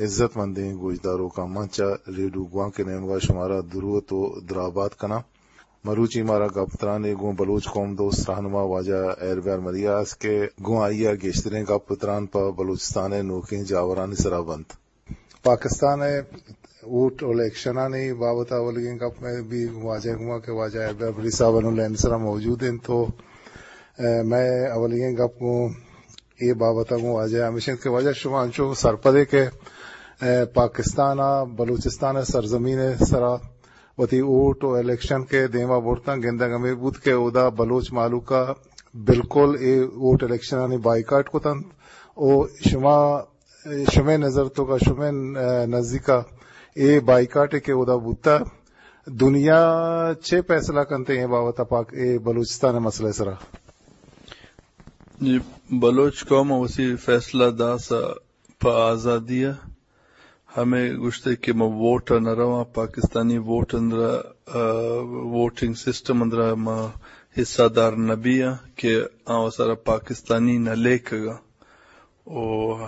عزت مندیں گوشداروکاں، من چہ ریڈیو گوانک ءِ نیمگ ءَ شمارا دروت ءُ درابات کناں۔ مروچی مارا گپ تران ءَ گوں بلوچ قوم دوست رہنما واجہ ہیربیار مریا است کہ گوں آئی ءَ گیشتریں گپ تران پہ بلوچستان ءِ نوکیں جاورانی سرا بنت۔ پاکستان ءِ ووٹ ءُ الیکشنانی بابت ءَ اولیگیں گپ مئے بی واجہ ءَ گوما کہ واجہ ہیربیار مریا صاحب انوں لائن ءِ سرا موجود انت۔ تو، اے، مئے اولیگیں گپ گوں اے بابت ءَ گوں واجہ ءَ ہمیش انت کہ واجہ، شما انچو سرپدے کہ، اے، پاکستان ءَ بلوچستان ءِ سرزمین ءِ سرا وتی ووٹ ءُ الیکشن کہ دیما برتاں، گندگ ہمے بوت کہ اودا بلوچ مہلوک ءَ بالکل اے ووٹ الیکشنانی بائیکاٹ کتنت۔ ءُ شما، شمئے نظر توکا، شمئے، اے، نزیکا اے بائیکاٹ کہ اودا بوتا، دنیا چے فیصلہ کنت اے بابت ءَ پاک، اے بلوچستان ءِ مسئلہ ءِ سرا؟ جی، بلوچ قوم ءَ وتی فیصلہ داس ءَ پہ آزادی ءَ۔ ہمے گوشتے کہ ما ووٹ ءَ نہ رواں، پاکستانی ووٹ اندرا، آ، ووٹنگ سسٹم اندرا ما حصہ دار نہ بیاں کہ آ وسارا پاکستانی نہ لیکگا۔ ءُ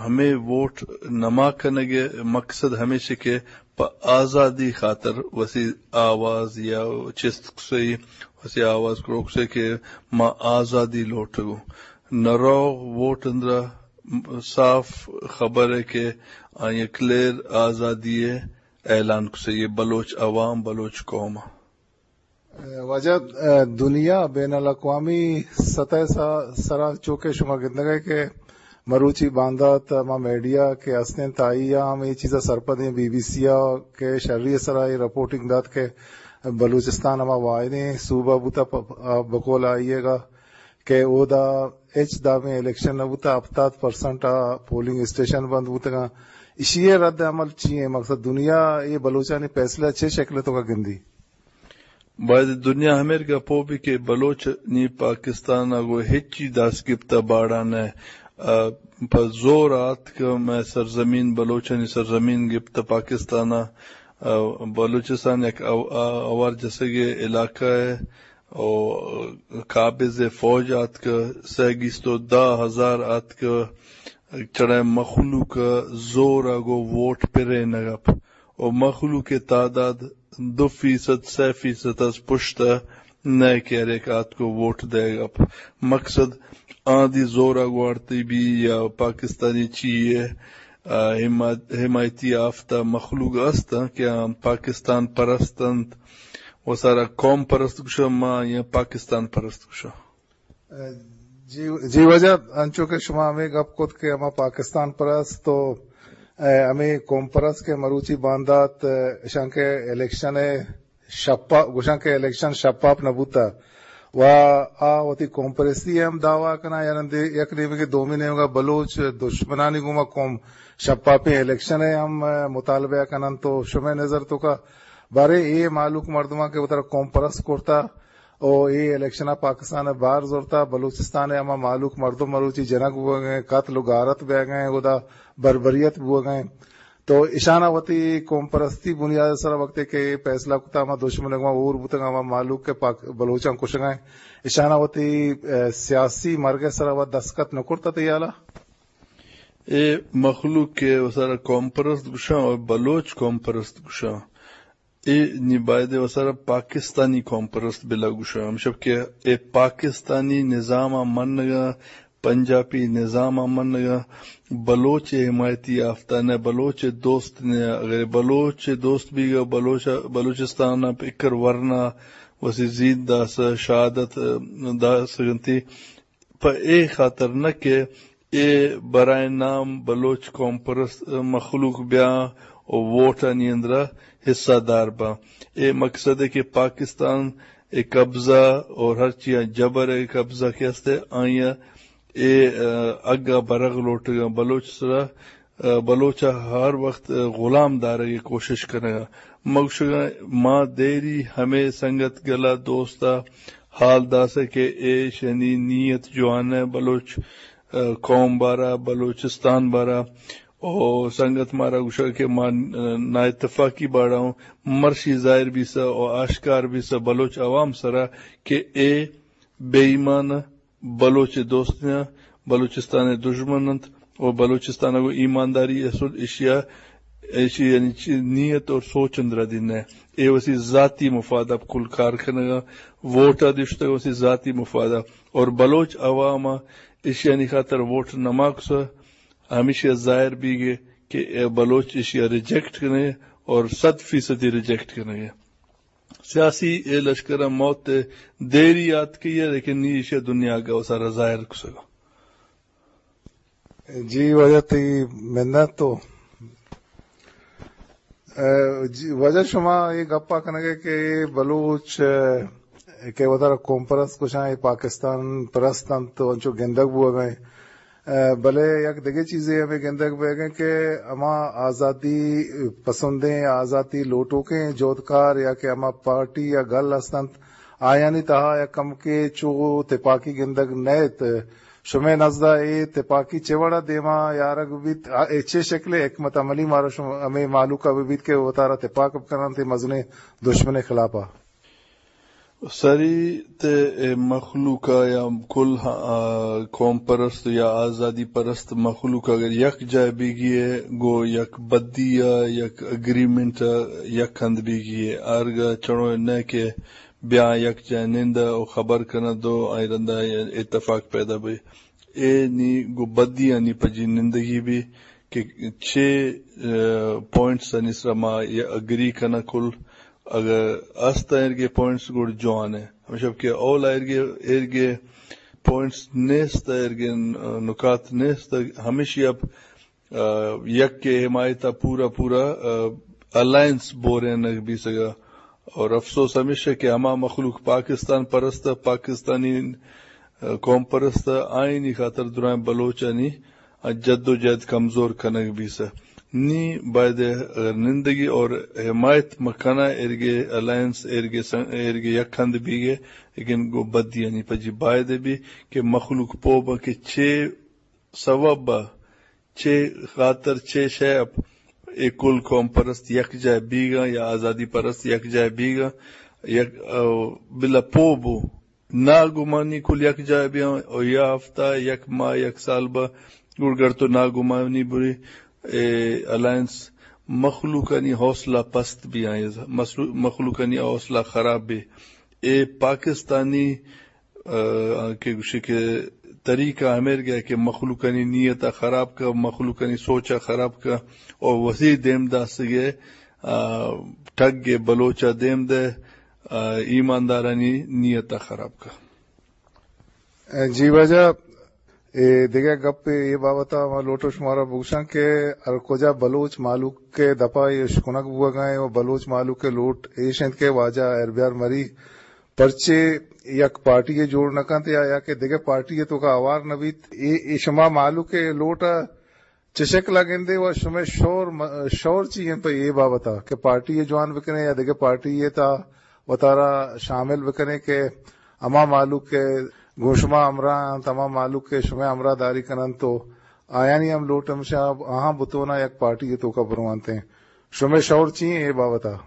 ہمے ووٹ نما کنگ ءِ مقصد ہمیش کہ پہ آزادی خاطر وسی آواز یا چست کسے، وسی آواز کروک سے کہ ما آزادی لوٹگوں۔ نہ روغ ووٹ اندرا صاف خبر ہے کہ آئی کلیئر آزادی ءِ اعلان کسے، یہ بلوچ عوام، بلوچ قوم۔ واجہ، دنیا بین الاقوامی سطح ءِ سا-، سرا چوکہ شما گندگ ءَ کہ مروچی باندات ہما میڈیا کہ ہستیں تائی ءَ ہم اے چیز ءَ سرپدیں، بی بی سی ءَ کہ شری ءِ سرا اے رپورٹنگ دات کہ بلوچستان ہما واحدیں صوبہ بوتا پ-، پ-، بقول آئی ءَ گا کہ اودا ہچ دابیں الیکشن نہ بوتا، ہپتاد پرسنٹ ءَ پولنگ اسٹیشن بند بوتگاں۔ ایشی ءِ رد عمل چی ہیں؟ مقصد دنیا اے بلوچانی فیصلہ چے شکل ءِ توکا گندی؟ باید دنیا ہمیر گپو بی کہ بلوچ نی پاکستان ءَ گوں ہچی دست گپتہ باڑا نہ، آ، پہ زور آتک مئے سرزمین، بلوچانی سرزمین گپتہ پاکستان ءَ، آ، بلوچستان یک او-، آ-، اوار جسگے علاقہ ءِ او قابض فوج آتک، سہ گیست و دہ ہزار آتک، چڑے مخلوق زور ءَ گوں ووٹ پرینگ ءَ۔ و مخلوق ءِ تعداد دو فیصد، سئے فیصد از پشت ءَ نئے کہ ہر یک آتک و ووٹ دئیگ ءَ۔ مقصد آں دی زور ءَ گوارتی بی یا پاکستانی چی ءِ، آ، حمایت-، حمایتی آفتہ مخلوق است کہ آں پاکستان پرست انت، و سارا قوم پرست گوشاں ما یا پاکستان پرست گوشاں۔ جی، جی واجہ، انچو کہ شما ہمے گپ کت کہ ہما پاکستان پرست و، اے، ہمے قوم پرست کہ مروچی باندات، اے، اشاں کہ الیکشن ءِ شپا-، گوشاں کہ الیکشن شپاپ نہ بوتا و آ وتی قوم پرستی ءِ ہم دعویٰ کناں، یا رندے یک نیمگے دومی نیمگا بلوچ دشمنانی گوما قوم شپاپیں الیکشن ءِ ہم، اے، مطالبہ کنن۔ تو شمئے نظر توکا بارے اے مہلوک مردماں کہ وترا قوم پرست کرتا، او اے الیکشن ءَ پاکستان ءَ بار زرتا، بلوچستان ءِ ہما مہلوک مردم مروچی جنگ بوگ ءَ، قتل و غارت بیگ ءَ، گدا بربریت بوگ ءَ۔ تو اشانا وتی قوم پرستی بنیاد ءِ سرا وقتے کہ اے فیصلہ کتا، ہما دشمن گما اور بوتگ، ہما مہلوک کہ پاک-، بلوچاں کشگ ءَ، اشانا وتی، اے، سیاسی مرگ ءِ سرا وت دستخط نہ کرتا تئی ہیالا؟ اے مخلوق کہ وسارا قوم پرست گوشاں و بلوچ قوم پرست گوشاں، اے نی بایدے وسارا پاکستانی قوم پرست بلا گوشاں۔ ہمشب کہ اے پاکستانی نظام ءَ منگا، پنجابی نظام ءَ منگا، بلوچ ءِ حمایتی آفتہ نہ، بلوچ ءِ دوست نہ۔ اگر بلوچ ءِ دوست بیگا، بلوچ، بلوچستان ءَ پکر ورنا وسی زید داس، شہادت داس گنتی۔ پہ اے خاطر نہ کہ اے برائے نام بلوچ قوم پرست مخلوق بیاں و ووٹانی اندرا حصہ دار باں۔ اے مقصد ہے کہ پاکستان ءِ قبضہ اور ہر چیز جبر ءِ قبضہ کہ ہستے آئیاں اے، آ، اگا برغ لوٹگا بلوچ سرا، آ، بلوچ ءَ ہر وقت، آ، غلام دارگ ءِ کوشش کنگا۔ مگشگا ما دیری ہمے سنگت گلا دوست ءَ حال داسے کہ ایشانی نیت جوان ءَ بلوچ، آ، قوم بارا، بلوچستان بارا۔ او سنگت مارا گوشگ کہ ما، آ، نااتفاقی باڑا ہوں، مرشی ظاہر بیسا او آشکار بیسا بلوچ عوام سرا کہ اے بے ایمان بلوچ ءِ دوست نہ، بلوچستان ءِ دژمن انت و بلوچستان ءَ گوں ایمانداری اصل ایشی ءَ ایشی یعنی چی نیت اور سوچ اندرا دین ہے۔ اے وسی ذاتی مفاد اب کل کار کنگا، ووٹ آ دشتگ وسی ذاتی مفاد آ۔ اور بلوچ عوام آ ایشی یعنی خاطر ووٹ نماکس، ہمیشی ظاہر بیگے کہ اے بلوچ ایشی ریجیکٹ کنے اور صد فیصدی ریجیکٹ کنے۔ سیاسی اے لشکر ء موت ء دیری آتکی ء، لیکن نی ایشی ء دنیا ء گوں سر ء ظاہر کسگ ء۔ جی واجہ تئی منت تو۔ اے، جی واجہ شما اے گپا کنگے کہ اے بلوچ، اے، کہ وتارا قوم پرست کشاں، اے پاکستان پرست انت تو انچو گندگ بوگ ء۔ ء، بلے یک دگہ چیزے ہمے گندگ بیگ انت کہ ہما آزادی پسندیں، آزادی لوٹوکیں جہدکار یا کہ ہما پارٹی یا گل ہست انت، آیانی تہا یک کمکے چو تپاکی گندگ نئیت۔ شمئے نزدا اے تپاکی چہ وڑا دیما یارگ بیت؟ آ، اے چے شکلے حکمت عملی مارا شم-، ہمے مہلوکا بہ بیت کہ وتارا تپاک بکننت اے مزنیں دشمنے خلافا؟ سری تے اے مخلوق ء یا کل، آ، قوم پرست یا آزادی پرست مخلوق اگر یک جائے بیگی ہے، گو یک بدی ء، یک اگریمنٹ ء، یک ہند بیگی ہے۔ آرگا چڑو نہ کہ بیا یک جائے نند ء و خبر کنہ دو آئی رندا اتفاق پیدا بی۔ اے نی گو بدی آنی پجی نندگی بی کہ چے، آ، پوائنٹس آنی سرا ما یا اگری کنہ کل۔ اگر است ایرگے پوائنٹس گڑ جوان ہے۔ ہمیشہ کہ اول ایرگے، ایرگے پوائنٹس نیست، ایرگے نکات نیست، ہمیشی اب، آ، یک کے حمایت پورا پورا، آ، الائنس بورینگ بیسگا۔ اور افسوس ہمیشہ کہ ہما مخلوق پاکستان پرست، پاکستانی، آ، قوم پرست، آئینی خاطر درائیں بلوچانی جد و جہد کمزور کنگ بیسہ۔ نی باید اگر نندگی اور حمایت مکنہ ایرگے الائنس ایرگے سن-، ایرگے یک ہند بیگے، لیکن گو بدیانی پجی باید بی کہ مخلوق پو بہ کہ چے سوب بہ، چے خاطر، چے شے اپ اے کل قوم پرست یک جائے بیگا یا آزادی پرست یک جائے بیگا، یک، آ، بلا پو بو۔ ناگمانی کل یک جائے بیاں و یا ہفتہ، یک ماہ، یک سال با گڑ گر تو ناگمانی بری، اے الائنس مخلوقانی حوصلہ پست بیاں، مسلو-، مخلوقانی حوصلہ خراب بی۔ اے پاکستانی، آ، کہ گوشی کہ طریقہ ہمیر گیا کہ مخلوقانی نیت خراب کا، مخلوقانی سوچ خراب کا، اور وسی دیم داستگے، آ، ٹگ بلوچ دیم دے، آ، ایماندارانی نیت ء خراب کا۔ جی واجہ، اے دگہ گپ اے بابت ء ما لوٹو شمارا بگوشاں کہ ہر کجا بلوچ مہلوک ء دپا اے اشکنگ بوگا ایں و بلوچ مہلوک ء لوٹ ایش انت کہ واجہ ہیربیار مری پرچے یک پارٹی ء جوڑ نہ کنت یا، یا کہ دگہ پارٹی ء توکا ہوار نہ بیت۔ اے، اے شما مہلوک ء لوٹ ء چہ شکل ء گندے و شمئے شور م-، شور چی انت پہ اے بابت ء کہ پارٹی ء جوان بکنے یا دگہ پارٹی ء تھا وتارا شامل بکنے کہ ہما مہلوک کہ گوں شما ہمراہ انت، ہما مہلوک کہ شمئے ہمراہ داری کننت تو آیانی ہم لوٹ ہمشہ آہاں بتونا یک پارٹی ء توکا برونتیں۔ شمئے شور چی انت اے بابت ء؟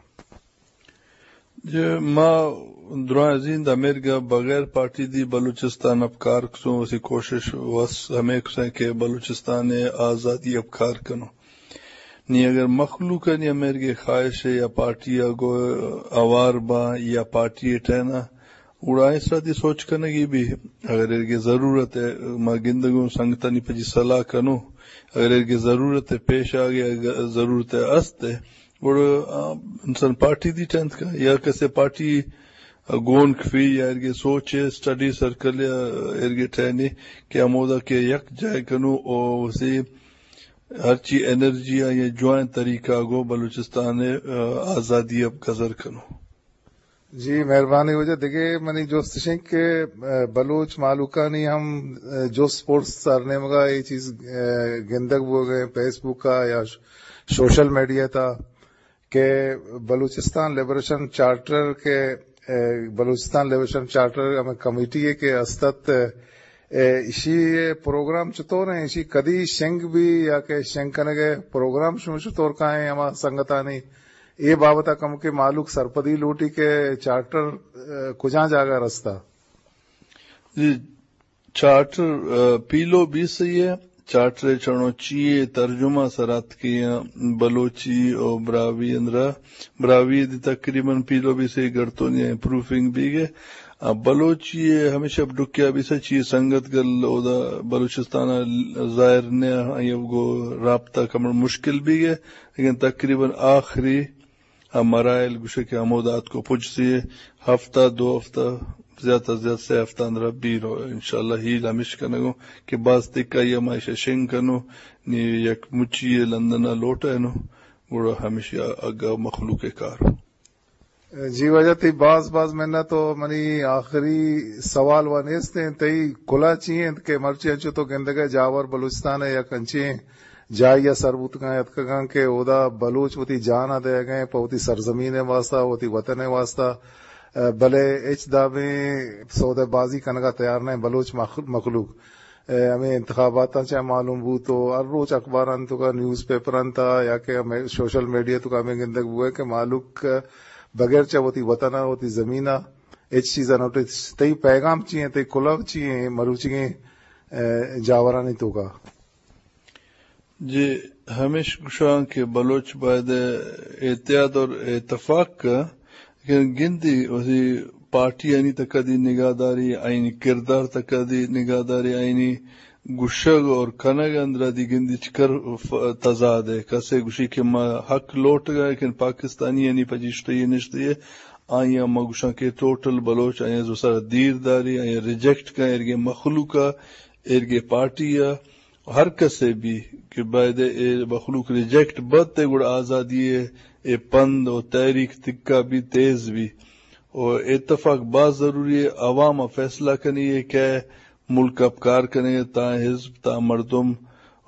جی، ما درائیں زند امیرگا بغیر پارٹی دی بلوچستان اب کار کسوں، وسی کوشش وس ہمیں کسیں کہ بلوچستان آزادی اب کار کنو۔ نی اگر مخلوق نی امیرگے خواہش ہے یا پارٹی گو اوار با یا پارٹی ٹینا، گڑا اس را دی سوچ کنگی بھی۔ اگر ایرگے ضرورت ہے، ما گندگوں سنگتانی پجی صلاح کنو، اگر ایرگے ضرورت ہے پیش آگے، اگر ضرورت ہے است ہے، گڑا، آ، انسان پارٹی دی ٹینت کا یا کسے پارٹی، آ، گون کفی یا ایرگے سوچ ہے، اسٹڈی سرکل یا ایرگے ٹینے کہ ہمودا کہ یک جائے کنو او اسے ہرچی انرجی آ یا جوائن طریقہ گو بلوچستان، آ، آزادی اب گزر کنو۔ جی، مہربانی واجہ۔ دگہ منی جست اش انت کہ، آ، بلوچ مہلوکانی ہم، آ، جست پرس سرنیمگا اے چیز، آ، گندگ بوگ ء فیس بک ء یا ش-، سوشل میڈیا تا کہ بلوچستان لبریشن چارٹر کہ، آ، بلوچستان لبریشن چارٹر ہمیں کمیٹی ہے کہ استت، آ، ایشی پروگرام چطور ہیں، ایشی کدی شنگ بھی یا کہ شنگ کنگے پروگرام شما چطور کائیں ہما سنگتانی اے بابت ء کمکے مہلوک سرپدی لوٹی کہ چارٹر، آ، کجا جاگہ رستا؟ جی، چارٹر، آ، پیلو بیس ء چارٹر چڑو چیئے ترجمہ سراتکے بلوچی او براہوئی اندرا، براہوئی دی تقریباً پیلو بیسے گڑتونی پروفنگ بیگے۔ آ، بلوچی ء ہمیشہ ڈکیا بیسا چی سنگت گل اودا بلوچستان ء ظاہر نہ آئی گو رابطہ کمر مشکل بیگے، لیکن تقریباً آخری آ مراحل گوشے کہ ہمودا اتکو پجسی، ہفتہ، دو ہفتہ، زیات از زیات سے ہفتہ اندرا بیرو۔ انشاءاللہ ہیل ہمیش کنگو کہ باز تکا یا ما ایشا شنگ کنو، نی یک مچی لندن ء لوٹینو، گڑا ہمیشی اگا مخلوق کار۔ جی واجہ تئی باز باز منت۔ و منی آخری سوال و نیست انت، تئی کلا چی انت کہ مرچی انچو تو گندگئے جاور بلوچستان ء یک انچیں جاہی ء سر بوتگاں اتکگاں کہ اودا بلوچ وتی جان ء دئیگئے پہ وتی سرزمین ء واسطہ، وتی وطن ء واسطہ، ء بلے ہچ دابیں سودہ بازی کنگا تیار نہ انت بلوچ مخ-، مخلوق۔ ء ہمے انتخاباتاں چہ معلوم بوت و ہر روچ اخباران توکا نیوز پیپران تا یا کہ ہمے سوشل میڈیا توکا ہمے گندگ بوئے کہ مہلوک بغیر چہ وتی وطن ء وتی زمین ء ہچ چیز ء نوٹس۔ تئی پیغام چی ہیں، تئی کلو چی ہیں مروچیگیں، ء، جاورانی توکا؟ جی، ہمیش گوشاں کہ بلوچ باید احتیاط اور اتفاق کا کہ گندی وتی پارٹیانی تکا دی نگاہ داری، آئینی کردار تکا دی نگاہ داری، آئینی گشگ اور کنگ اندرا دی گندی چکر ف-، تضاد ہے۔ کسے گوشی کہ ما حق لوٹگا، لیکن پاکستانی یعنی پجیشتہ یہ نشتے ہے، آئیا ما گوشاں کہ ٹوٹل بلوچ آئیا زو سر دیر داری، آئیا ریجیکٹ کا، ایرگے مخلوق ء، ایرگے پارٹی ء، ہر کسے بھی کہ باید اے مخلوق ریجیکٹ بت تے گڑا آزادی اے، اے پند و تحریک تکا بھی تیز بھی۔ و اتفاق باز ضروری ہے، عوام ء فیصلہ کنی ہے کہ ملک ء کار کنے، تا حزب، تا مردم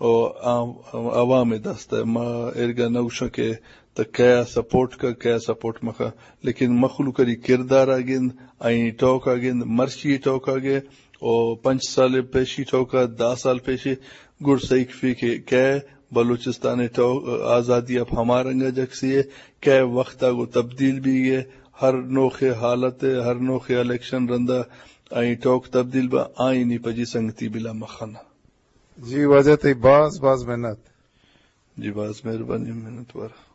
و عام-، عوام دست ہے۔ ما ارگا نوشاں کہ تا کیا سپورٹ کا، کیا سپورٹ مکا، لیکن مخلوق ری کردار آ گند، آئینی ٹوک آ گند، مرچی ٹوک آ گے، او پنچ سال پیشی ٹوکا، دہ سال پیشی گڑ سہی کفی کہ کئے بلوچستان ٹوک آزادی اب ہما رنگا جکسی ہے، کئے وقت آگو تبدیل بھی ہے، ہر نوخ حالت، ہر نوخ الیکشن رندا آئی ٹوک تبدیل با، آئینی پجی سنگتی بلا مخنا۔ جی واجہ تئی باز باز منت۔ جی باز مہربانی، منت وار۔